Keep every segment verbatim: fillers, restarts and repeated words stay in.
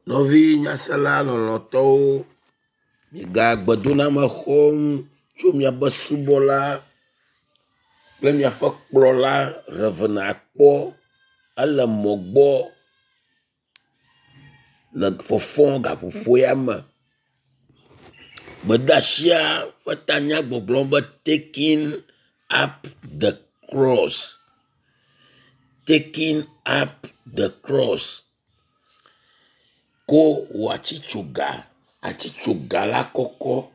Nɔvi nyasela lɔlɔ̃tɔwo, miga gbedoname xɔm tso miaƒe subɔla kple miaƒe kplɔla Rev. Akpɔ ele mɔ gbɔ le fɔfɔm gaƒoƒo ya me. Gbedeasia ƒe tanya gbɔgblɔm be taking up the cross. Taking up the cross. Ko wò atsitsoga, atsitsoga la kɔkɔ.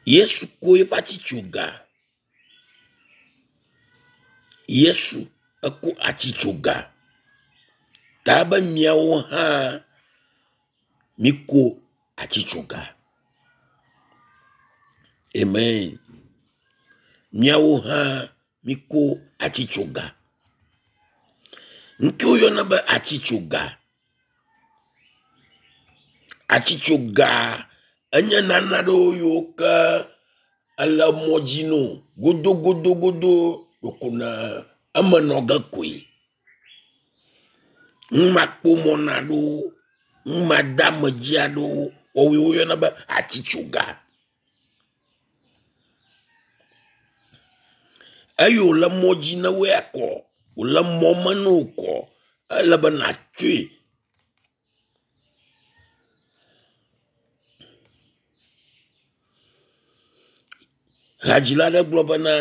Yesu ko eƒe atsitsoga. Yesu eko atsitsoga ta be miawo hã miko atsitsoga. Amen. Miawo hã miko atsitsoga. Ŋke woyɔna be atsitsoga. Atsitsoga enye nane aɖewo yiwo ke ele mɔ dzi no godogodogodo ɖeko ne eme nɔ ge koe. Numakpɔmɔna aɖewo, numadeamedzi aɖewo woawoe woyɔna be atsitsoga. Eye wòle mɔ dzi na wò ya kɔ, wòle mɔ me na wò kɔ, ele be nàtsɔe. Hadzila aɖe gblɔ bena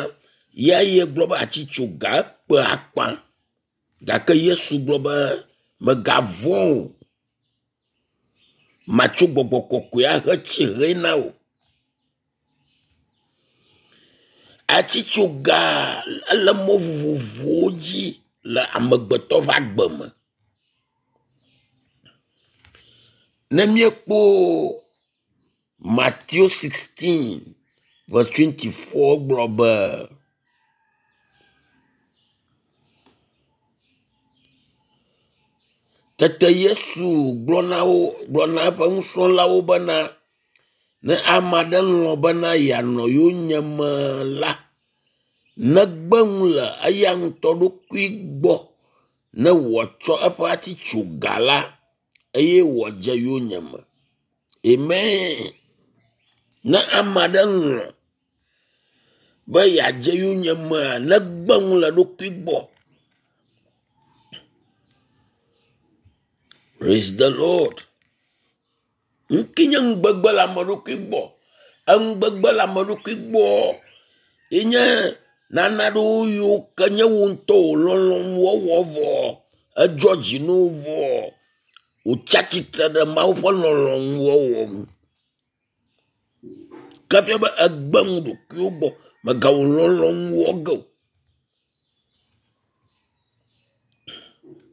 ya ye gblɔ be atsitsoga ekpe akpa gake Yesu gblɔ be mègavɔ̃ o, matso gbɔgbɔ kɔkɔe ahe tsihe na wò. Atsitsoga ele mɔ vovovowo dzi le amegbetɔ ƒe agbe me. Ne míekpɔ Matthew sixteen verse twenty four gblɔ be tete Yesu gblɔ na wo gblɔ na eƒe nusrɔ̃lawo bena ne ame aɖe lɔ̃ bena yeanɔ yonyeme la, negbe nu le eya ŋutɔ ɖokui gbɔ ne wòatsɔ eƒe atsitsoga la eye wòadze yonyeme. Amen. Ne ame aɖe lɔ̃ be yeadze yonyemea, negbe nu le eɖokui gbɔ. Praise the Lord. Ŋke nye nugbegbe le ame ɖokui gbɔ. Enugbegbe le ame ɖokui gbɔ ye nye nane aɖewo yiwo ke nye wò ŋutɔ wò lɔlɔ̃nu wɔwɔ vɔ edzɔ dzi na wò vɔ wòtsi atsitre ɖe Mawu ƒe lɔlɔ̃nu wɔwɔ ŋu. Ke fia be egbe nu ɖokuiwò gbɔ mègawɔ lɔlɔ̃nu wɔ ge o.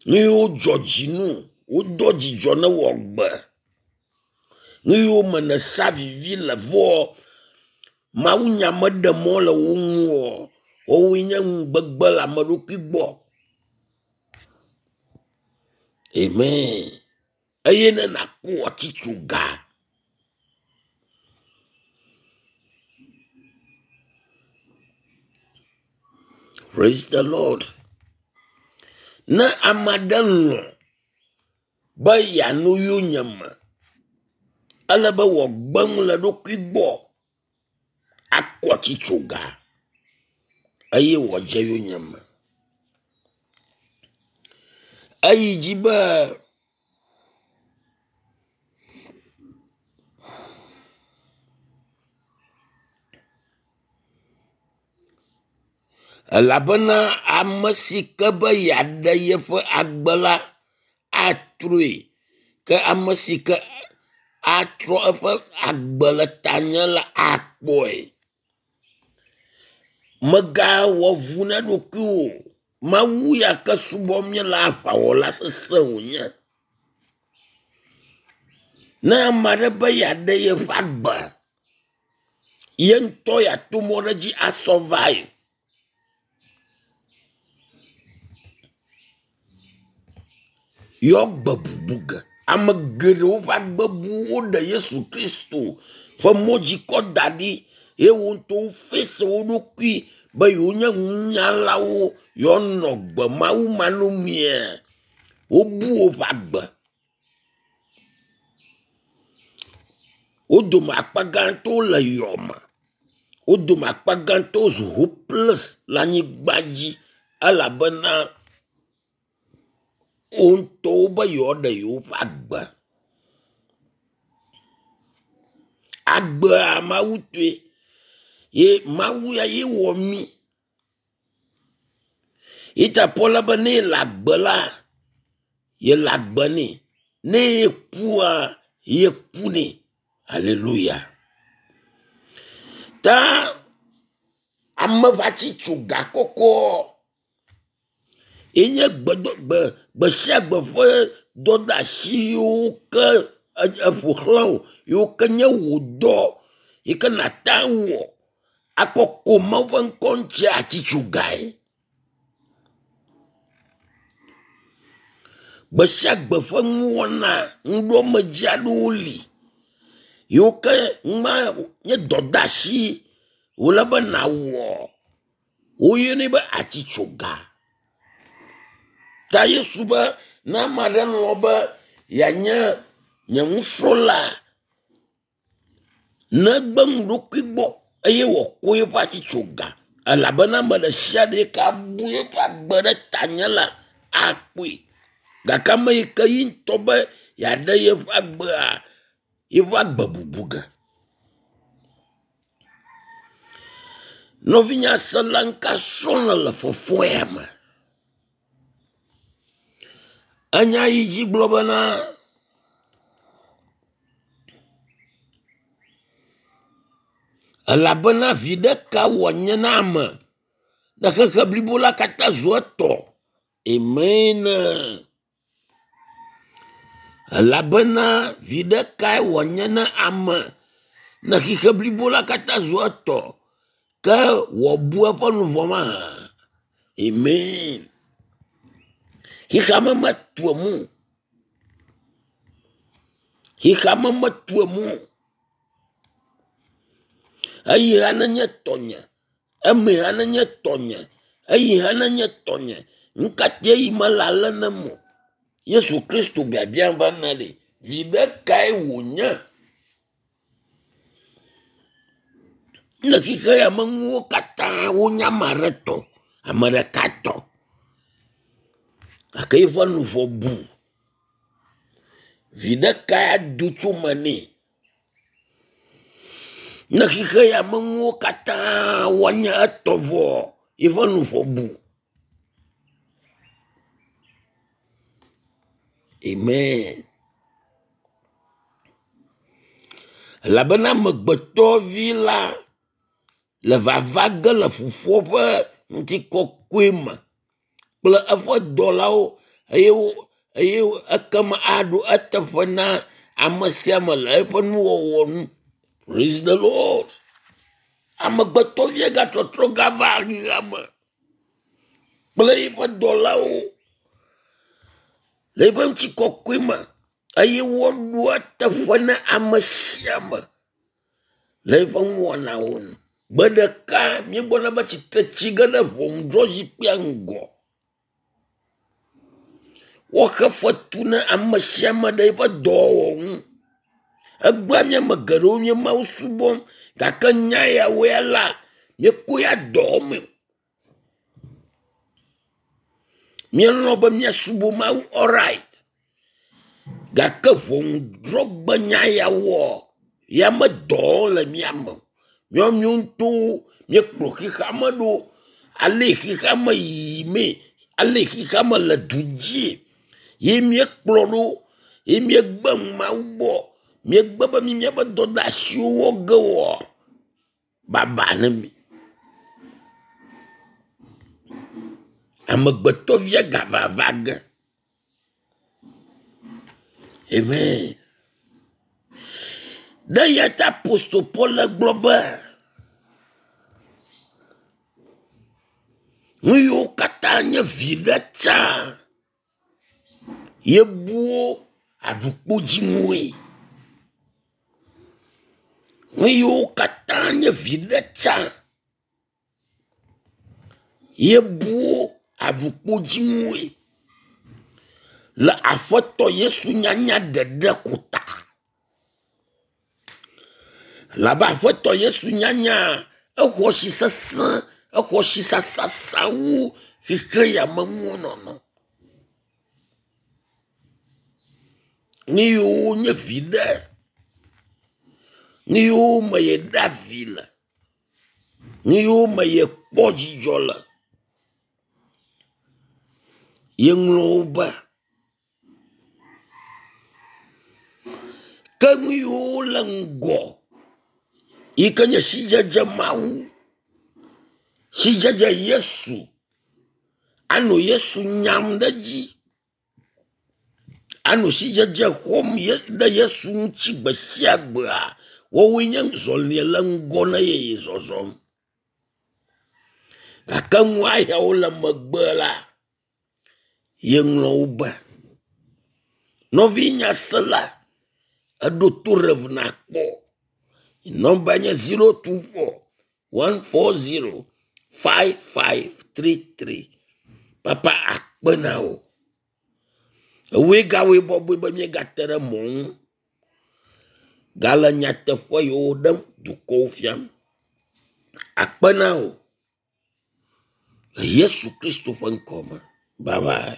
Nu yiwo dzɔ dzi na wò, wodoa dzidzɔ ne wò agbe. Nu yiwo me nèsea vivi le vɔ mawunya meɖe mɔ le wo ŋu oa, woawoe nye nugbegbe le ame ɖokui gbɔ. Amen. Eye ne nàko atsitsoga. Praise the Lord. Ne ame aɖe lɔ̃ be yeanɔ yonyeme, ele be wòagbe nu le eɖokui gbɔ akɔ atsitsoga eye wòadze yonyeme. Eyi dzi be elabena ame si ke be yeaɖe yeƒe agbe la atrɔe ke ame si ke atrɔ eƒe agbe le tanye la akpɔe. Mègawɔ vu na ɖokuiwò o. Mawu ya ke subɔm míele aʋawɔla sesẽ wònye. Ne ame aɖe be yeaɖe yeƒe agbe, ye ŋutɔ yeato mɔ ɖe dzi asurvive. Yɔ gbe bubu ge. Ame geɖewo ƒe agbe bu woɖe Yesu Kristo ƒe mɔ dzi kɔ da ɖi eye wo ŋutɔ wo face wo ɖokui be yewonye nunyalawo yewoanɔ gbe Mawu manɔmea. Wobu woƒe agbe. Wo dome akpa gãtɔwo le yɔme. Wo dome akpa gãtɔwo zu hopeless le anyigba dzi elabena wo ŋutɔwo be yewoaɖe yewoƒe agbe. Agbea Mawu tɔe ye Mawu ya ye wɔ mí. Yi ta Paul be ne yele agbe la, yele agbe nɛ. Ne yekua, yeku nɛ. Hallelujah. Ta ame ƒe atsitsoga kɔkɔ ye nye gbedo gbe gbe sia gbe ƒe dɔdeasi yiwo ke eƒo xlã wò yiwo ke nye wò dɔ yi ke nàte wɔ akɔ ko Mawu ƒe ŋkɔ ŋuti atsitsogae. Gbe sia gbe ƒe nuwɔna ŋuɖoamedzi aɖewo li yiwo ke ma nye dɔdeasi wòle be nàwɔ. Woyɔnɛ be atsitsoga. Ta Yesu be ne ame aɖe lɔ̃ be yeanye nye nusrɔ̃la, negbe nu ɖokui gbɔ eye wòako eƒe atsitsoga elabena ame ɖe sia ɖe yi ke abu eƒe agbe ɖe tanye la akpɔe. Gake ame yi ke yi ŋutɔ be yeaɖe yeƒe agbea, yeƒe agbe bubu ge. Nɔvinye asela ŋka srɔ̃ le fɔfɔ ya me. Enya yi dzi gblɔ bena elabena viɖe ka wòanye na ame ne xexe blibo la katã zu etɔ. Amen. Elabena viɖe kae wòanye na ame ne xexe blibo la katã zu etɔ ke wòabu eƒe luʋɔ mahã. Amen. Xexeame metu emu o. Xexeame metu emu o. Eyi hã nenye tɔnye, eme hã nenye tɔnye, eyi hã nenye tɔnye. Nu ka te yi mele ale nem o. Yesu Kristo biabiam be ne ɖe, viɖe kae wònye le xexe ya me nuwo katã wonye ame aɖe tɔ, ame ɖeka tɔ. Gake eƒe luʋɔ bu. Viɖe kae ado tso me nɛ? Ne xexe ya me nuwo katã woanye etɔ vɔ eƒe luʋɔ bu. Amen. Elabena amegbetɔvi la le vava ge le fofoa ƒe ŋutikɔkɔe me kple eƒe dɔlawo eye wo eye ekema aɖo eteƒe na ame sia ame le eƒe nuwɔwɔ nu. Praise the Lord. Amegbetɔvia gatrɔtrɔ gava xexea me kple eƒe dɔlawo le eƒe ŋutikɔkɔe me eye woaɖo eteƒe na ame sia ame le eƒe nuwɔnawo nu. Gbe ɖeka míegbɔna be tsitre tsi ge ɖe ʋɔnudrɔ̃zikpuia ŋgɔ. Woaxe fetu na ame sia ame ɖe eƒe dɔwɔwɔ ŋu. Egbea mía ame geɖewo nye Mawu subɔm gake nya yawo ya la míekɔ ya dɔ me o. Míelɔ̃ be míasubɔ Mawu alright gake ʋɔnudrɔ̃gbe nya ya woa ya me dɔ le mía me o. Míawo míawo ŋutɔwo míekplɔ xexeame ɖo ale xexeame yiyimee, ale xexeame le du dzie ye míekplɔ ɖo ye míegbe Mawu gbɔ. Míegbe be mi míaƒe dɔdeasiwo wɔ ge oa, baba ne mi. Amegbetɔvia gavava ge. Amen. Ɖe eya ta apostol Paul gblɔ be nu yiwo katã nye viɖe tsã yebu wo aɖukpodzinuwoe. Nu yiwo katã nye viɖe tsã yebu wo aɖukpodzinuwoe. Le aƒetɔ Yesu nyanya ɖeɖe ko ta. Labe aƒetɔ Yesu nyanya exɔ si sesẽ, exɔ si sasasa wu xixe ya me nuwo nɔnɔ. Nu yiwo nye viɖe, nu yiwo me yeɖea vi le, nu yiwo me yekpɔ dzidzɔ le, yeŋlɔ wo be. Ke nu yiwo le ŋgɔ yi ke nye sidzedze Mawu, sidzedze Yesu, anɔ Yesu nyam ɖe edzi, anɔ sidzedze xɔm ɖe Yesu ŋuti gbe sia gbea, woawoe nye zɔlia le ŋgɔ na ye ye zɔzɔm. Gake nua yawo le megbe la, yeŋlɔ wo be. Nɔvi nyasela, eɖo to Rev nakpɔ. Nɔmba nye zero two four one four zero five five three three. Papa akpe na wò. Ewòe gawɔe bɔbɔe be míegate ɖe mɔ ŋu. Gale nyateƒe yiwo ɖem dukɔwo fiam. Akpe na wò. Le Yesu Kristo ƒe ŋkɔ me. Bye bye.